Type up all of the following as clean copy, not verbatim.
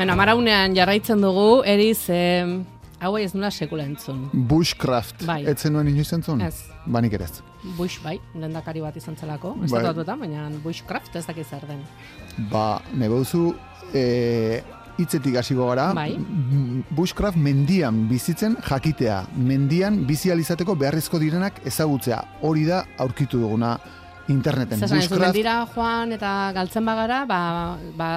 Bueno, amaraunean jarraitzen dugu, eriz, hau ez nula sekula entzun. Bushcraft, Bai. etzen nuen inoiz entzun? Ez. Banik ere ez. Bush, bai, lehendakari bat izan zelako, Bai. estatu batuetan, baina Bushcraft ez dakit zer den. Nebe duzu, hitzetik hasiko gara, Bai. Bushcraft mendian bizitzen jakitea, mendian bizi ahal izateko beharrezko direnak ezagutzea. Hori da aurkitu duguna interneten. Zasan, ez mendira joan eta galtzen bagara,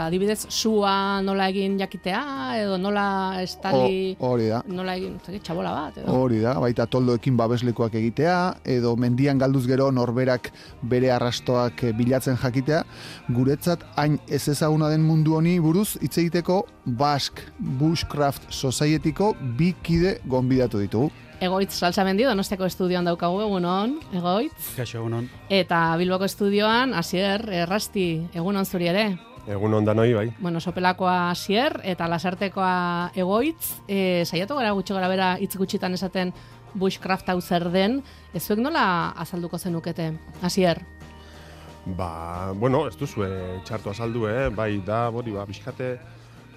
adibidez, sua nola egin jakitea, edo nola estali, hori da. nola egin, txabola bat, edo. Hori da, baita toldoekin babeslekoak egitea, edo mendian galduz gero norberak bere arrastoak bilatzen jakitea, guretzat hain ez ezaguna den mundu honi buruz hitz egiteko Basque Bushcraft Societyko 2 kide gonbidatu ditugu. Egoitz Salsamendi, Donostiako estudioan daukagu, egunon, Egoitz. Kaixo, egunon. Eta Bilboko estudioan, Asier Errasti, egunon zuri ere. Egunon danoi, bai. Bueno, Sopelakoa Asier eta Lasartekoa Egoitz. Saiatu gara gutxi gara bera hitz gutxitan esaten Bushcraft hau zer den. Ezuek nola azalduko zenukete, Asier? Bueno, ez duzue txartu azaldu, bai, da, bizkate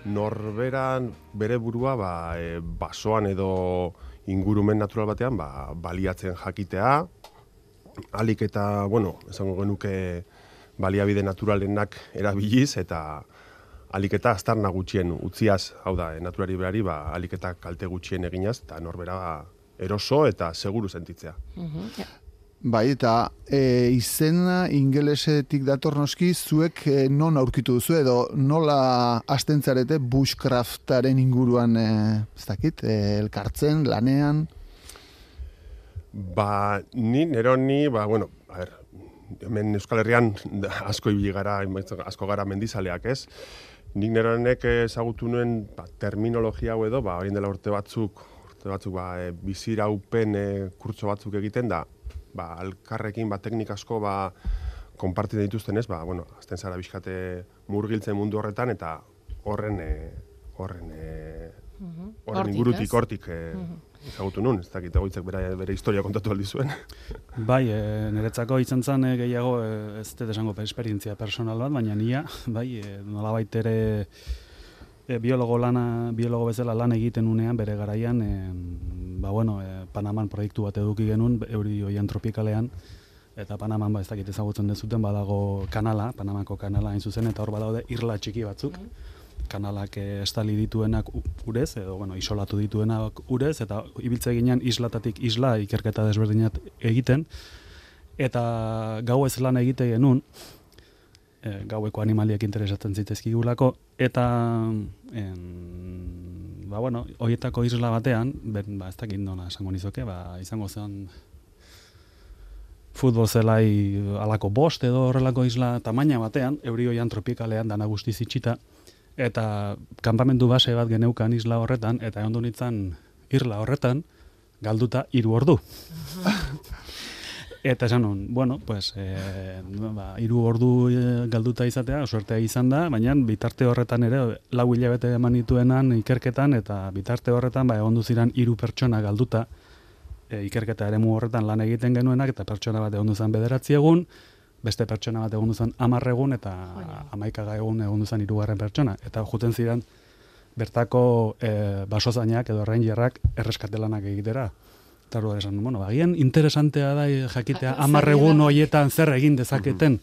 norberan bere burua, basoan edo ingurumen natural batean, baliatzen jakitea, alik eta, esango genuke baliabide naturalenak erabiliz, eta alik eta aztarna gutxien utziaz, hau da, naturari berari, alik eta kalte gutxien eginaz, eta norbera eroso eta seguru sentitzea. Bai, eta izena ingelesetik dator noski, zuek non aurkitu duzu edo nola astentzarete bushcraftaren inguruan, ez dakit, elkartzen, lanean? Ni, hemen Euskal Herrian asko ibili gara, asko gara mendizaleak, ez? Nik neronek ezagutu nuen terminologia hau edo, orain dela urte batzuk biziraupen kurtso batzuk egiten da, alkarrekin teknik asko konpartitzen dituzten ez, azten zara bizkate murgiltzen mundu horretan eta horren ingurutik hortik ezagutu nun, ez dakit Egoitzek bere historia kontatu aldi zuen. Bai, niretzako izan zen gehiago, ez dut esango esperientzia personal bat, baina nia, nolabait ere biologo bezala lan egiten unean bere garaian, Panaman proiektu bat eduki genuen, euri oian tropikalean, eta Panaman ez dakit ezagutzen dezuten, badago kanala, Panamako kanala hain zuzen, eta hor badaude irla txiki batzuk, kanalak estali dituenak urez, edo isolatu dituenak urez, eta ibiltze ginean islatatik isla ikerketa desberdinat egiten, eta gau ez lan egite genuen, gaueko animaliak interesatzen zitezkigulako, eta horietako isla batean, ez dakit nola esango nizoke, izango zen futbol zelai alako 5 edo horrelako isla tamaina batean, euri oian tropikalean dana guztiz itxita, eta kanpamendu base bat geneukan isla horretan, eta ondo nintzen irla horretan, galduta 3 ordu. Eta esan hon, 3 ordu galduta izatea, suertea izan da, baina bitarte horretan ere 4 hilabete eman nituenan ikerketan, eta bitarte horretan egon ziren 3 pertsona galduta ikerketa eremu horretan lan egiten genuenak, eta pertsona bat egon zen 9 egun, beste pertsona bat egon zen 10 egun, eta 11 egun egon zen 3. pertsona. Eta juten ziren bertako basozainak edo rangerrak erreskatelanak egitera. Eta hori esan, agian interesantea da jakitea 10 egun horietan zer egin dezaketen.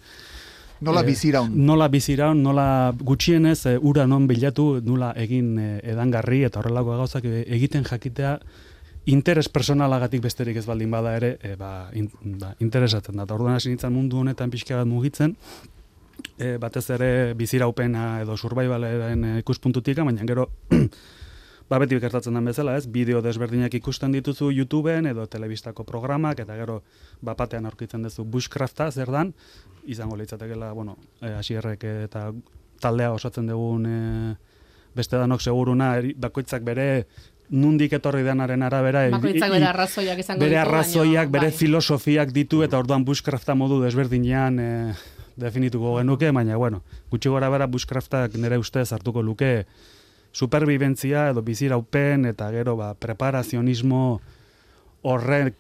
Nola biziraun. Nola biziraun, nola gutxienez ura non bilatu, nola egin edangarri eta horrelako gauzak egiten jakitea interes personalagatik besterik ez baldin bada ere, interesatzen da. Orduan hasi nintzen mundu honetan pixka bat mugitzen, batez ere biziraupena edo survivalaren ikuspuntutik, baina gero beti gertatzen den bezala, ez? Bideo desberdinak ikusten dituzu YouTubeen edo telebistako programak, eta gero bapatean aurkitzen duzu bushcrafta, zer dan, izango litzatekeela, Asierrek eta taldea osatzen dugun beste danok seguruna, bakoitzak bere nundik etorri denaren arabera, bakoitzak bere arrazoiak izango ditu, bere arrazoiak, bere filosofiak ditu, eta orduan bushcrafta modu desberdinean definituko genuke, baina, gutxi gora bera bushcraftak nire ustez hartuko luke superbibentzia edo biziraupen eta gero preparazionismo horrek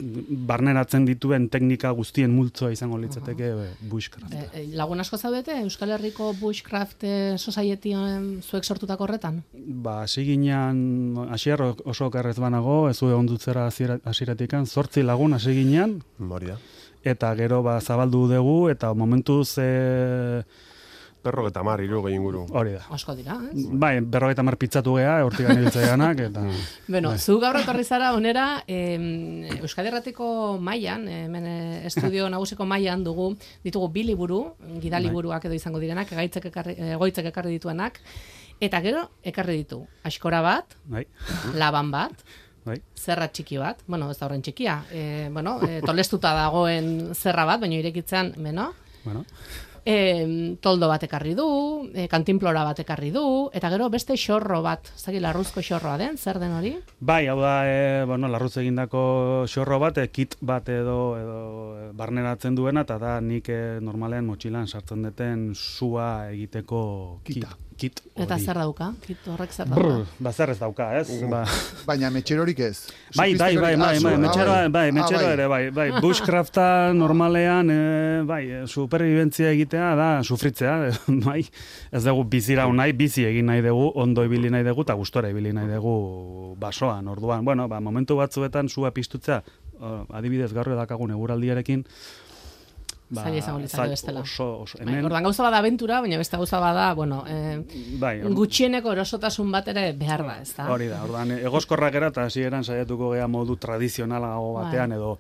barneratzen dituen teknika guztien multzoa izango litzateke bushcraft. Lagun asko zaudete Euskal Herriko Bushcraft Societyen zuek sortutako horretan? Ba, hasi ginean, hasier oso okerrez banago, ez zuen ondutzera hasieratikan, 8 lagun hasi ginean, Hori da. eta gero zabaldu dugu, eta momentuz... Perro eta mar, inguru. Hori da. Asko dira, ez? Bai, 50 pizzatu geha, hortik ganebiltzaianak, eta... Bueno, zu gaur etorri zara onera, Euskadi Irratiko mailan, hemen estudio nagusiko mailan ditugu 2 liburu, gidaliburuak edo izango direnak, egoitzek ekarri dituenak, eta gero ekarri ditu Askora bat, Laban bat, zerra txiki bat, bueno, ez da horren txikia, tolestuta dagoen zerra bat, baina irekitzean, toldo bat ekarri du, kantinplora bat ekarri du, eta gero beste xorro bat, zaki larruzko xorroa den, zer den hori? Bai, hau da, larruz egindako xorro bat, kit bat edo barneratzen duena, eta da nik normalean motxilan sartzen duten sua egiteko kit. Eta zer dauka? Kit horrek zer dauka? Ba, zer ez dauka, ez? Baina metxerorik ez? Bai, metxero ere, bai. Bushcrafta normalean, superviventzia egitea da sufritzea, bai. Ez dugu bizira nahi, bizi egin nahi dugu, ondo ibili nahi dugu, eta gustora ibili nahi dugu basoan, orduan. Bueno, momentu batzuetan sua piztutzea, adibidez gaur edakagun eguraldiarekin, zaila izango litzake bestela. Hemen... Ordan gauza bada abentura, baina beste gauza bada, gutxieneko erosotasun bat ere behar da, ez da? Hori da, ordan egoskorrak era eta hasieran saiatuko gea modu tradizionalago batean edo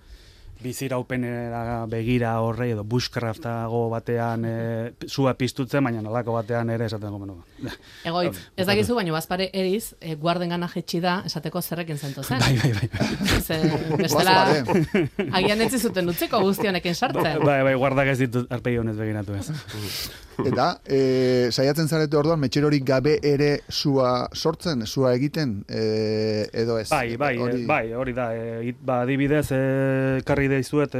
biziraupenera begira horre edo bushcraftago batean sua piztutzen, baina nolako batean ere esaten gomen. Egoitz, ez dakizu, baina bazpare eriz, guarden gana jetxi da, esateko zerrekin zentu zen. Bai. Bestela, agian etzi zuten utziko guztionekin sartzen. Bai, guardak ez ditut arpegi honez begiratu ez. Eta, saiatzen zarete orduan, metxerorik gabe ere sua sortzen, sua egiten, edo ez? Bai, hori da. Adibidez, karri deizuet,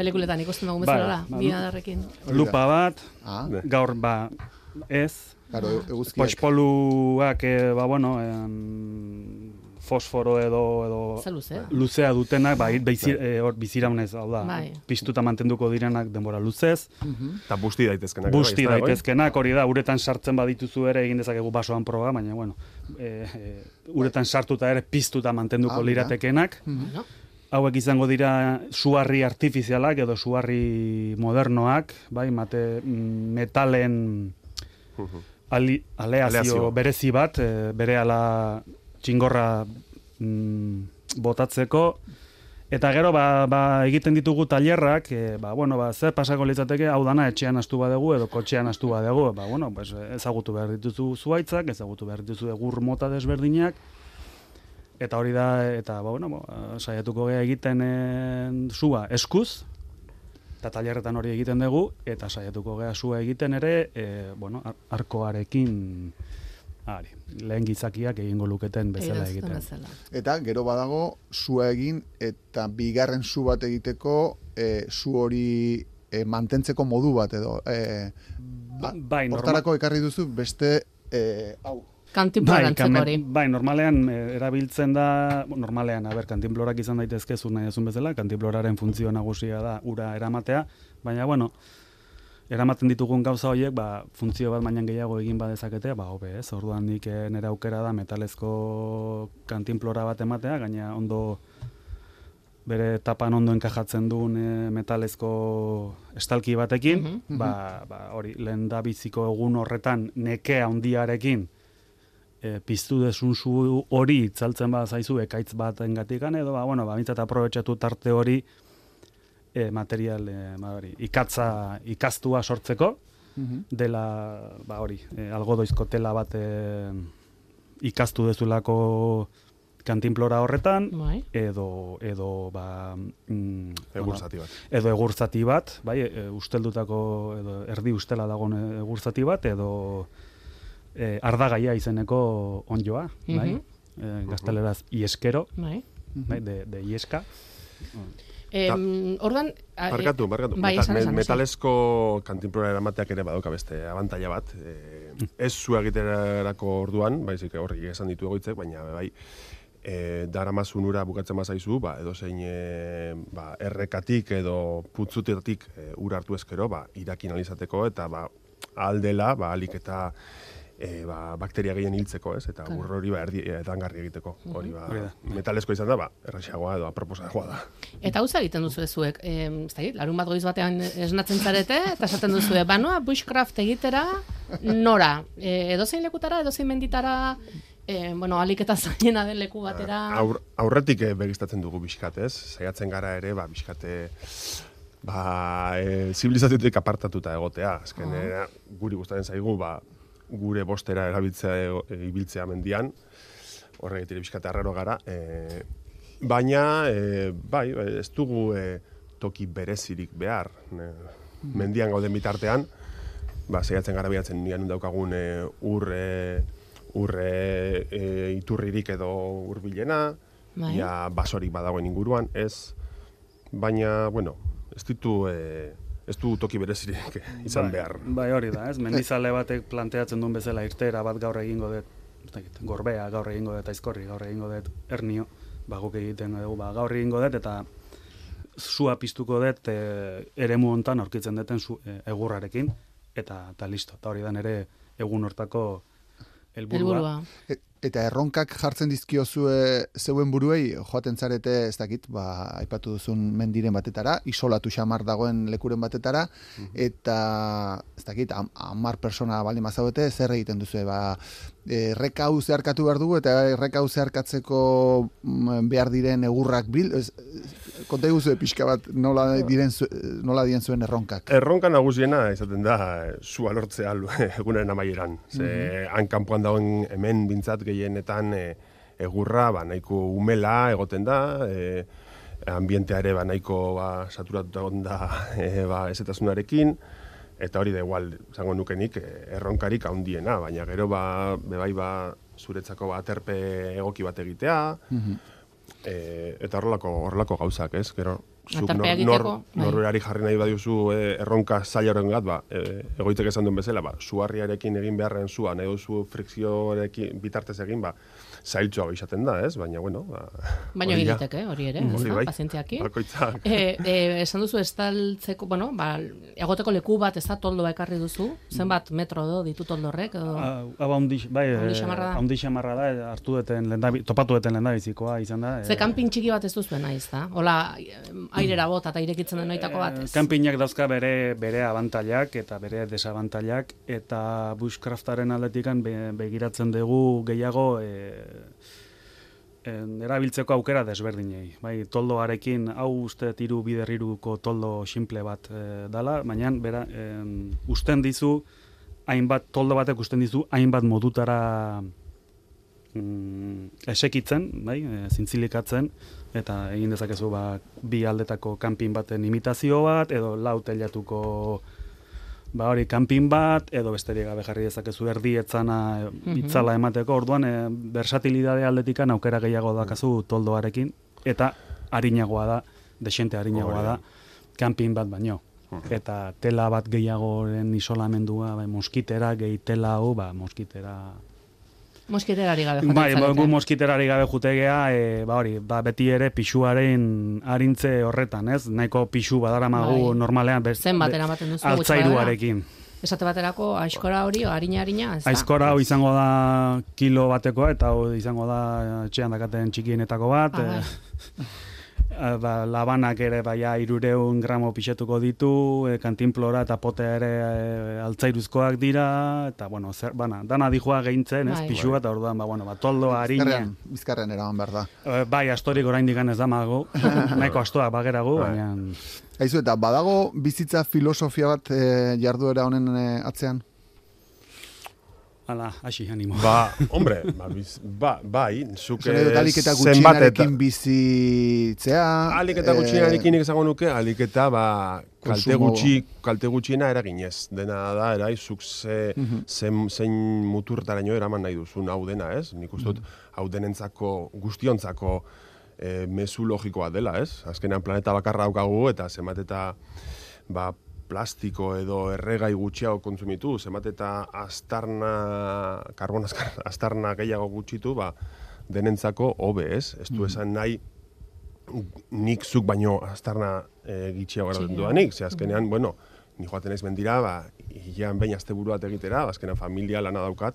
pelikuletan ikusten dugu bezala, binadarrekin. Lupa bat, gaur, ez. Claro, eguzkiak. Poxpoluak, fosforo edo luzea dutenak, biziraunez, hau da, piztuta mantenduko direnak denbora luzez. Eta busti daitezkenak. Busti daitezkenak, hori da, uretan sartzen badituzu ere, egin dezakegu basoan proba, baina, uretan sartuta ere piztuta mantenduko liratekenak. Hauek izango dira suarri artifizialak edo suarri modernoak, metalen aleazio berezi bat, bere ala txingorra botatzeko, eta gero egiten ditugu tailerrak, zer pasako litzateke, hau dana etxean astu badegu edo kotxean astu badegu, ezagutu behar dituzu zuaitzak, ezagutu behar dituzu egur mota desberdinak, eta hori da, saiatuko gea egiten sua eskuz, eta tailerretan hori egiten dugu, eta saiatuko gea sua egiten ere, arkoarekin, lehen gizakiak egingo luketen bezala egiten. Eta gero badago sua egin eta bigarren su bat egiteko su hori mantentzeko modu bat edo. Hortarako ekarri duzu beste hau. Kantinplorantzeko hori. Bai, normalean erabiltzen da, kantinplorak izan daitezke zu nahi ezun bezala, kantinploraren funtzio nagusia da ura eramatea, baina eramaten ditugun gauza horiek, funtzio bat baina gehiago egin badezakete, hobe ez, orduan nik nire aukera da metalezko kantinplora bat ematea, gaina ondo bere tapan ondo enkajatzen duen metalezko estalki batekin, hori lehen da biziko egun horretan nekea handiarekin piztu desun zu hori itzaltzen zaizu ekaitz bat engatikan, edo bintzat aprobetxatu tarte hori material ikaztua sortzeko, dela algodoizko tela bat ikaztu dezulako kantinplora horretan, edo egurzati bat, usteldutako, edo erdi ustela dagoen egurzati bat, edo ardagaia izeneko onjoa, gazteleraz ieskero, de ieska. Ordan barkatu. Metalezko kantinplora eramateak ere badauka beste abantaila bat. Ez zu egiterako orduan, baizik horrek esan ditu egoitzek, baina daramazun ura bukatzen bazaizu, edozein errekatik edo putzutetatik ura hartu ezkero, irakin alizateko, eta aldela, alik eta bakteria gehien hiltzeko, ez? Eta ur hori edangarri egiteko. Hori metalezko izan da, erraxagoa edo aproposagoa da. Eta hau egiten duzu zuek, larun bat goiz batean esnatzen zarete, eta esaten duzu, banoa bushcraft egitera nora? Edozein lekutara, edozein menditara, alik eta zainena den leku batera? Aurretik begistatzen dugu bizkat, ez? Saiatzen gara ere, bizkate zibilizaziotik apartatuta egotea. Azken, guri gustatzen zaigu, gure bostera ibiltzea mendian, horregatik bizkate arraro gara, baina, ez dugu toki berezirik behar. Mendian gauden bitartean, saiatzen gara bilatzen nian daukagun urre iturririk edo urbilena, basorik badagoen inguruan, ez, baina, ez du toki berezirik izan behar. Bai, hori da, ez? Mendizale batek planteatzen duen bezala irtera bat gaur egingo dut, gorbea gaur egingo dut, aizkorri gaur egingo dut, ernio, guk egiten dugu, gaur egingo dut, eta sua piztuko dut eremu hontan aurkitzen duten egurrarekin, eta listo. Eta hori da nere egun hortako helburua. Eta erronkak jartzen dizkiozue zeuen buruei, joaten zarete, ez dakit, aipatu duzun mendiren batetara, isolatu xamar dagoen lekuren batetara, eta, ez dakit, 10 persona baldin mazaudete, zer egiten duzue, erreka hau zeharkatu behar dugu, eta erreka hau zeharkatzeko behar diren egurrak konta eguzue pixka bat nola dien zuen erronkak. Erronka nagusiena izaten da sua lortzea egunaren amaieran. Han kanpoan dagoen hemen bintzat gehienetan egurra nahiko umela egoten da, ambientea ere nahiko saturatuta da ezetasunarekin, eta hori da igual, zango nukenik, erronkarik handiena, baina gero zuretzako aterpe egoki bat egitea, eta horrelako gauzak, ez? Gero, zuk norberari jarri nahi badiuzu erronka zaila horren gat, egoitzek esan duen bezala, suarriarekin egin beharren zua, nahi duzu frikzioarekin bitartez egin, zailtxoa izaten da, ez? Baina, baina egiteke, hori ere, pazientziakin. Bakoitzak. Esan duzu estaltzeko, egoteko leku bat, ez da toldoa ekarri duzu? Zenbat metro ditu toldorrek? Haundi xamarra da, topatu duten lehendabizikoa izan da. Ze kanpin txiki bat ez duzuen nahi, ez da? Hola, airera bota eta irekitzen den noitako bat. Kanpinak dauzka bere abantailak eta bere desabantailak, eta bushcraftaren aldetikan begiratzen dugu gehiago erabiltzeko aukera desberdinei. Toldoarekin, hau uste tiru biderriruko toldo simple bat dala, baina usten dizu, toldo batek usten dizu, hainbat modutara esekitzen, zintzilikatzen, eta egin dezakezu bi aldetako kanpin baten imitazio bat, edo lau teilatuko hori kanpin bat, edo besterik gabe jarri dezakezu erdietzana itzala emateko, orduan versatilidade aldetikan aukera gehiago dakazu toldoarekin, eta harinagoa da, desente harinagoa da, kanpin bat baino. Eta tela bat gehiagoren isolamendua, moskitera, gehi tela hau, moskiterari gabe jotetzen. Gu moskiterari gabe jutegea, beti ere pixuaren arintze horretan, ez? Nahiko pixu badaramagu normalean altzairuarekin. Esate baterako aizkora hori, harina, ez da? Aizkora hau izango da kilo batekoa, eta hau izango da etxean dakaten txikienetako bat. Labanak ere 300 gramo pixetuko ditu, kantinplora eta potea ere altzairuzkoak dira, eta dana dijoa gehintzen, pixua, eta orduan, toldo, harina. Bizkarren eraman behar da. Bai, astorik oraindik ez damago, nahiko astoak bageragu, baina... Aizu, eta badago bizitza filosofia bat jarduera honen atzean? Hala, hasi, animo. Hombre, bai, zuke alik eta gutxinarekin bizitzea... Alik eta gutxinarekin izango nuke, alik eta kalte gutxina eraginez. Dena da, zuk zein muturtaraino eraman nahi duzun hau dena, ez? Nik uste dut, hau denentzako, guztiontzako mezu logikoa dela, ez? Azkenean planeta bakarra daukagu, eta zenbat eta plastiko edo erregai gutxiago kontsumitu, zenbat eta astarna gehiago gutxitu, denentzako hobe, ez? Ez du esan nahi nik zuk baino aztarna gitxiago gara dudanik, ze azkenean, bueno, ni joaten naiz mendira, hilean behin asteburu bat egitera, azkenean familia lana daukat,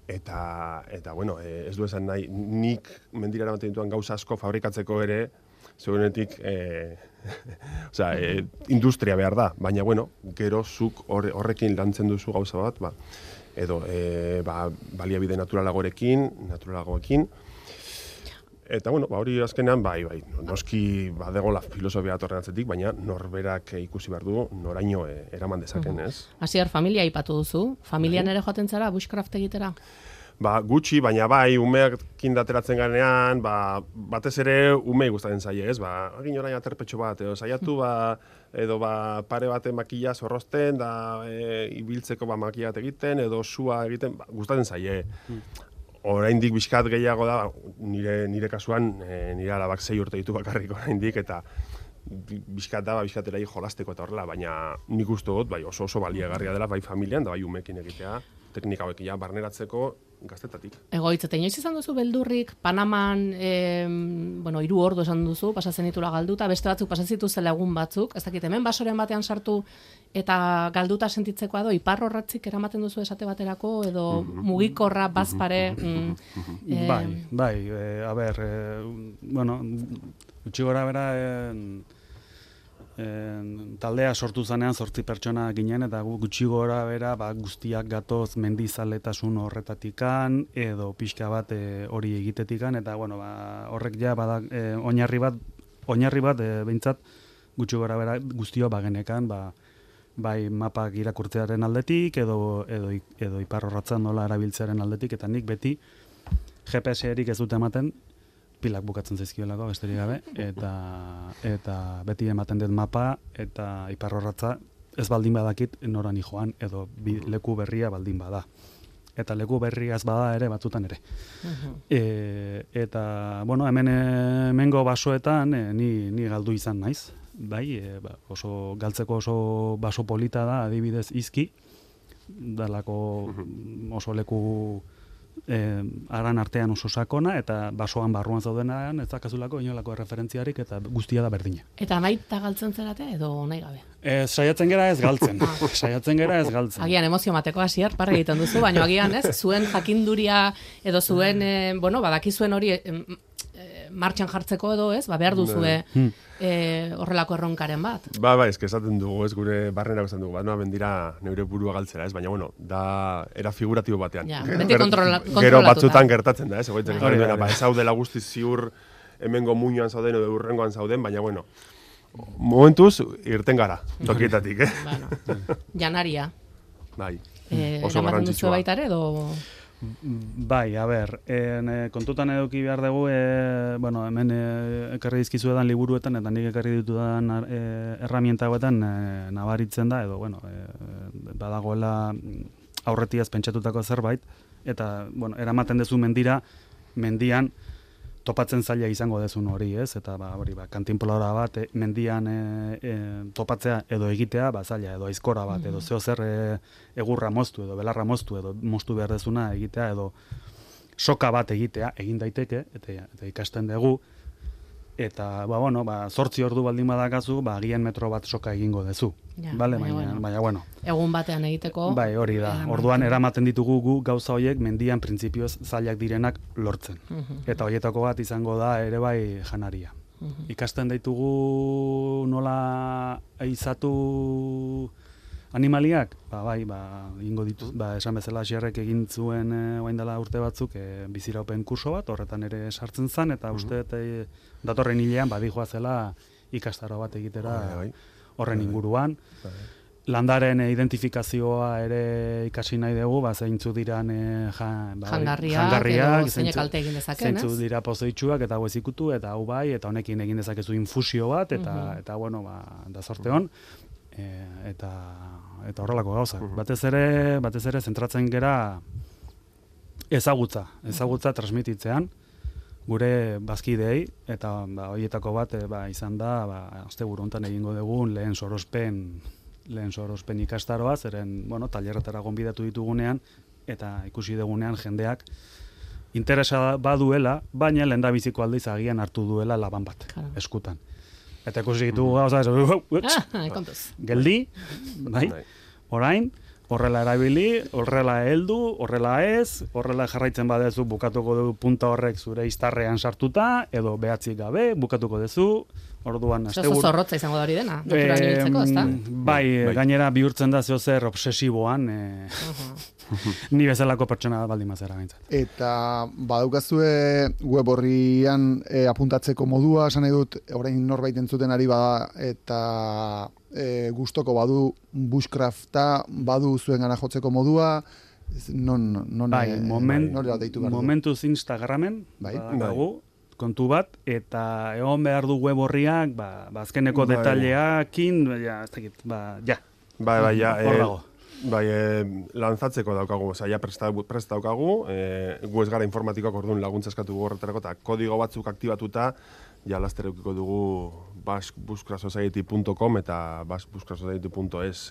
eta bueno, ez du esan nahi, nik mendira eramaten dituan gauza asko fabrikatzeko ere, zeurenetik, industria behar da, baina, bueno, gero zuk horrekin lantzen duzu gauza bat, edo baliabide naturalagoekin, eta, bueno, hori azkenean, bai, noski badegola filosofia atorren atzetik, baina norberak ikusi behar du, noraino eraman dezaken, ez? Hasier, familia aipatu duzu, familian ere joaten zara, bushcraft egitera? Gutxi, baina bai, umeekin dateratzen garenean, batez ere umei gustatzen zaie, ez? Egin orain aterpetxo bat, edo saiatu, edo pare baten makila zorrozten, ibiltzeko makila bat egiten, edo sua egiten, gustatzen zaie. Oraindik bizkat gehiago da, nire kasuan, nire alabak 6 urte ditu bakarrik oraindik, eta bizkatera jolasteko eta horrela, baina nik uste dut, bai oso baliagarria dela, bai familian, da bai umeekin egitea, teknika hauek barneratzeko gaztetatik. Egoitz, eta inoiz izan duzu beldurrik, Panaman, 3 ordu esan duzu, pasatzen ditula galduta, beste batzuk pasatzen zituzela egun batzuk, ez dakit, hemen basoren batean sartu eta galduta sentitzeko edo iparrorratzik eramaten duzu esate baterako, edo mugikorra, bazpare... Gutxi gora bera, taldea sortu zanean 8 pertsona ginen, eta gutxi gora bera guztiak gatoz mendizaletasun horretatikan, edo pixka bat hori egitetikan, eta horrek ja oinarri bat behintzat gutxi gora bera guztio bagenekan, bai mapak irakurtzearen aldetik, edo iparrorratzan nola erabiltzearen aldetik, eta nik beti GPS-erik ez dut ematen, pilak bukatzen zaizkiolako, besterik gabe, eta beti ematen dut mapa, eta iparrorratza ez baldin badakit norani joan, edo leku berria baldin bada. Eta leku berria ez bada ere, batzutan ere. Eta, hemengo basoetan, ni galdu izan naiz, bai, galtzeko oso baso polita da, adibidez izki, dalako oso leku aran artean oso sakona, eta basoan barruan zaudenean ez dakazulako inolako referentziarik, eta guztia da berdina. Eta nahi eta galtzen zerate, edo nahi gabe? Saiatzen gera ez galtzen. Agian emozio mateko Hasier, parra egiten duzu, baina agian ez, zuen jakinduria, edo zuen, badakizuen hori martxan jartzeko edo ez, behar duzue horrelako erronkaren bat. Eske esaten dugu, ez gure barrenako esaten dugu, noa bendira neure burua galtzera, ez, baina da era figuratibo batean. Beti kontrolatuta. Gero batzutan gertatzen da, ez, egoitzen ez zaudela guzti ziur hemengo muinoan zauden edo urrengoan zauden, baina momentuz irten gara, tokietatik, Janaria. Bai, oso garrantzitsua. Baita ere, edo... Bai, kontutan eduki behar dugu, hemen ekarri dizkizu edan liburuetan, eta nik ekarri ditudan erramienta hauetan nabaritzen da, edo, badagoela aurretiaz pentsatutako zerbait, eta, eramaten dezu mendian topatzen zaila izango dezun hori, ez? Eta, kantinpolora bat, mendian topatzea edo egitea, zaila, edo aizkora bat, edo zeo zer egurra moztu, edo belarra moztu, edo moztu behar dezuna egitea, edo soka bat egitea, egin daiteke, eta ikasten dugu, eta, 8 ordu baldin badakazu, agian metro bat soka egingo dezu. Baina, egun batean egiteko... Bai, hori da. Orduan eramaten ditugu gu gauza horiek mendian printzipioz zailak direnak lortzen. Eta horietako bat izango da ere bai janaria. Ikasten ditugu nola eizatu animaliak? Ingo dituz, esan bezala Hasierrek egin zuen orain dela urte batzuk biziraupen kurso bat, horretan ere sartzen zen, eta uste datorren hilean badijoa zela ikastaro bat egitera horren inguruan. Landaren identifikazioa ere ikasi nahi dugu, zeintzu diran jangarriak, zeinek kalte egin dezaken, zeintzu dira pozoitsuak, eta hau ezikutu, eta hau bai, eta honekin egin dezakezu infusio bat, eta da zorte hon, eta horrelako gauza. Batez ere zentratzen gera ezagutza transmititzean, gure bazkideei, eta horietako bat izan da, asteburu hontan egingo dugun lehen sorospen ikastaroa, zeren, tailerretara gonbidatu ditugunean, eta ikusi dugunean jendeak interesa baduela, baina lehendabiziko aldiz agian hartu duela laban bat, eskutan. Eta ikusi ditugu gauza, kontuz. geldi, bai, orain, horrela erabili, horrela heldu, horrela ez, horrela jarraitzen badezu bukatuko du punta horrek zure iztarrean sartuta, edo behatzik gabe, bukatuko duzu, orduan asteburu. Oso zorrotza izango da hori dena, naturan ibiltzeko, ezta? Bai, gainera bihurtzen da zeozer obsesiboan, ni bezalako pertsona baldin mazera gaintzat. Eta badaukazue web horrian apuntatzeko modua, esan nahi dut, orain norbait entzuten ari bada, eta gustoko badu bushcrafta, badu zuen gana jotzeko modua, bai, momentuz Instagramen, dago, kontu bat, eta egon behar du web horriak, azkeneko detaileakin, ez dakit, ja. Bai, hor dago. Bai, lanzatzeko daukagu, ja prest daukagu, gu ez gara informatikoak orduan laguntza eskatu horretarako, eta kodigo batzuk aktibatuta, ja laster eukiko dugu basquebuskrasociety.com eta basquebuskrasociety.es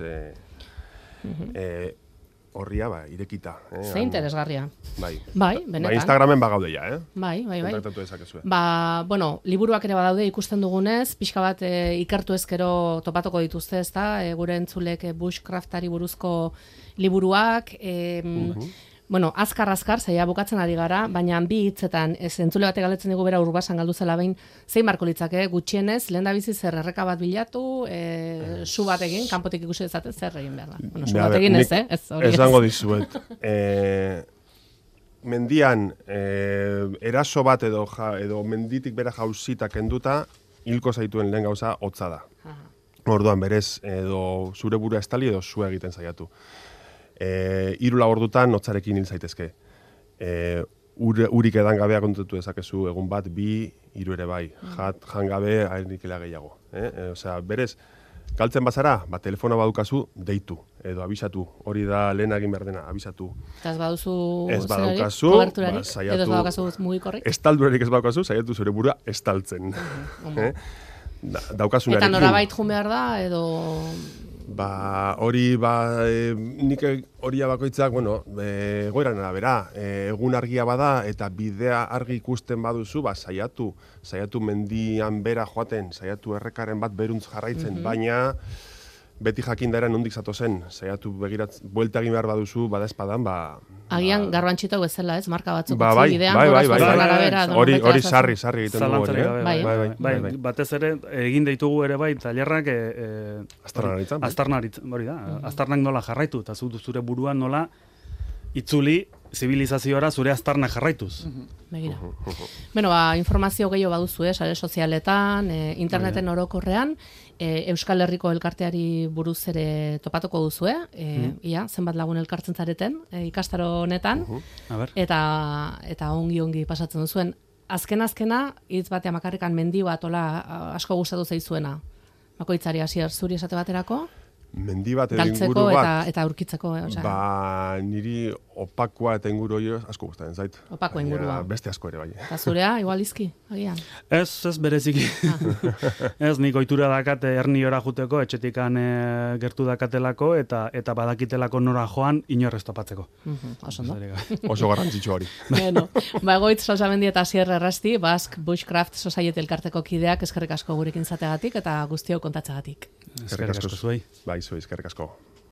horria, irekita. Ze interesgarria. Bai, benetan. Instagramen bagaude ja, Bai. Kontaktatu dezakezue. Liburuak ere badaude ikusten dugunez, pixka bat ikertu ezkero topatuko dituzte, ezta? Gure entzulek bushcraftari buruzko liburuak, azkar, zaila bukatzen ari gara, baina bi hitzetan, entzule batek galdetzen digu bera Urbasan galdu zela behin, zein marko litzake, gutxienez, lehendabizi zer erreka bat bilatu, su bat egin, kanpotik ikusi dezaten zer egin behar da. Su bat egin ez, Esango dizuet. Mendian, eraso bat edo menditik bera jauzita kenduta, hilko zaituen lehen gauza hotza da. Orduan berez, edo zure burua estali edo zua egiten zaiatu. 3 ordutan hotzarekin hil zaitezke. Urik edan gabea kontatu dezakezu egun bat, 2, 3 ere bai. Jan gabe airnikela gehiago. Osea, berez, galtzen bazara, telefona badukazu, deitu, edo abisatu. Hori da lehen egin behar dena, abisatu. Eta ez baduzu koberturarik, edo ez badukazu mugikorrik? Estaldurerik ez badukazu, saiatu zure burua estaltzen. Daukasunarekin. Eta norabait jun behar da, edo... Nik horia bakoitzak, goiran arabera, egun argia bada eta bidea argi ikusten baduzu, saiatu mendian bera joaten, saiatu errekaren bat beruntz jarraitzen, baina beti jakindaren nondik zatozen, saiatu buelta egin behar baduzu, bada espadan, agian garrantxitok bezala, ez? Marka batzuk utzi bidean, arabera. Hori sarri egiten dugu. Bai, batez ere, egin deitugu ere bai, tailerrak aztarnaritza, hori da, aztarnak nola jarraitu, eta zure buruan nola itzuli zibilizaziora zure aztarnak jarraituz. Begira. Informazio gehiago baduzu, sare sozialetan, interneten orokorrean, Euskal Herriko elkarteari buruz ere topatuko duzu, zenbat lagun elkartzen zareten, ikastaro honetan, eta ongi pasatzen duzuen. Azkena, hitz batean makarrikan mendi bat asko gustatu zaizuena. Bakoitzari hasier zuri esate baterako? Mendi bat edo inguru bat. Eta aurkitzeko. Niri opakoa eta inguru hori asko gustatzen zait. Opako ingurua. Beste asko ere bai. Eta zurea, igual izki, agian? Ez bereziki. Ez, nik ohitura dakat herniora juteko, etxetikan gertu dakatelako, eta badakitelako nora joan inorrez topatzeko. Oso garrantzitsu hori. Egoitz Salsamendi eta Asier Errasti, Basque Bushcraft Society elkarteko kideak, eskerrik asko gurekin zategatik eta guztiok kontatzegatik. Eskerrik asko zuei. Bai, zuei, eskerrik asko.